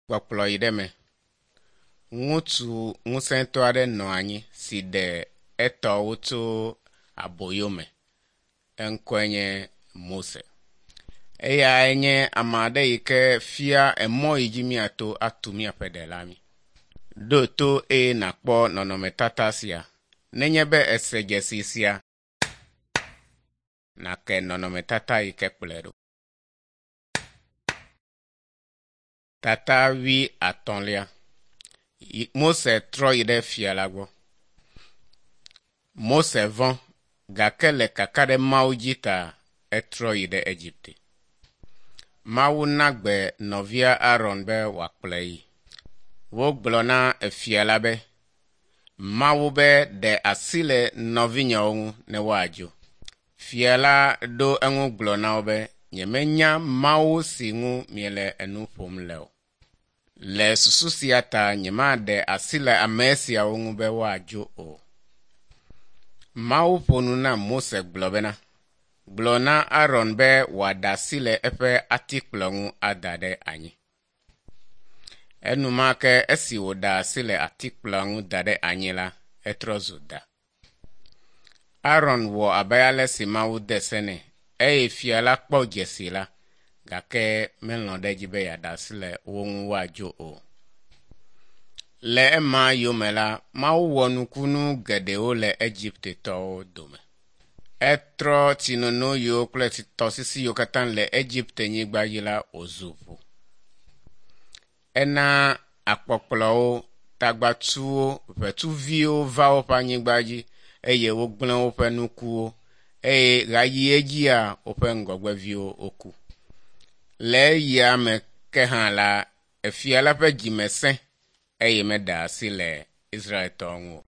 Kpɔkplɔ yi ɖe me. Ŋutsu ŋusẽtɔ aɖe nɔ anyi si ɖe etɔwo tso aboyo me. Eŋkɔe nye Mose. Eyae nye ame aɖe yi ke fia emɔ yi dzi míato atu míaƒe ɖela mí. Ɖo to eye nàkpɔ nɔnɔmetata sia. Nenye be èse dzesi sia, nàke nɔnɔmetata yi ke kplɔe ɖo. Tata wui atɔ̃lia. Mose trɔ yi ɖe fia la gbɔ. Mose vɔ̃ gake le kaka ɖe Mawu dzi ta etrɔ yi ɖe Egipte. Mawu na gbe nɔvia Aron be wòakplɔe yi. Wogblɔ na efia la be, Mawu be ɖe asi le nɔvinyewo ŋu ne woadzo. Fia la ɖo eŋu gblɔ na wo be, nyemenya Mawu si ŋu miele enu ƒom le o. Le susu sia ta nyemaɖe asi le ame siawo ŋu be woadzo o. Mawu ƒo nu na Mose gblɔ bena, gblɔ na Aron be wòaɖe asi le eƒe atikplɔ ŋu ada ɖe anyi. Enumake esi wòɖe asi le atikplɔa ŋu da ɖe anyi la, etrɔ zu da. Aron wɔ abe ale si Mawu de se nɛ eye fia la kpɔ dzesi la, gake melɔ̃ ɖe edzi be yeaɖe asi le wo ŋu woadzo o. Le ema yome la, Mawu wɔ nukunu geɖewo le Egiptetɔwo dome. Etrɔ tsinono yiwo kple tɔsisi yiwo katã le Egipte nyigba dzi la wòzu ʋu. Ena akpɔkplɔwo, tagbatsuwo, ʋetsuviwo va woƒe anyigba dzi eye wogblẽ woƒe nukuwo eye ɣayi edzia woƒe ŋgɔgbeviwo woku. Le eya me ke hã la, efia la ƒe dzime sẽ eye meɖe asi le Israeltɔwo ŋu o.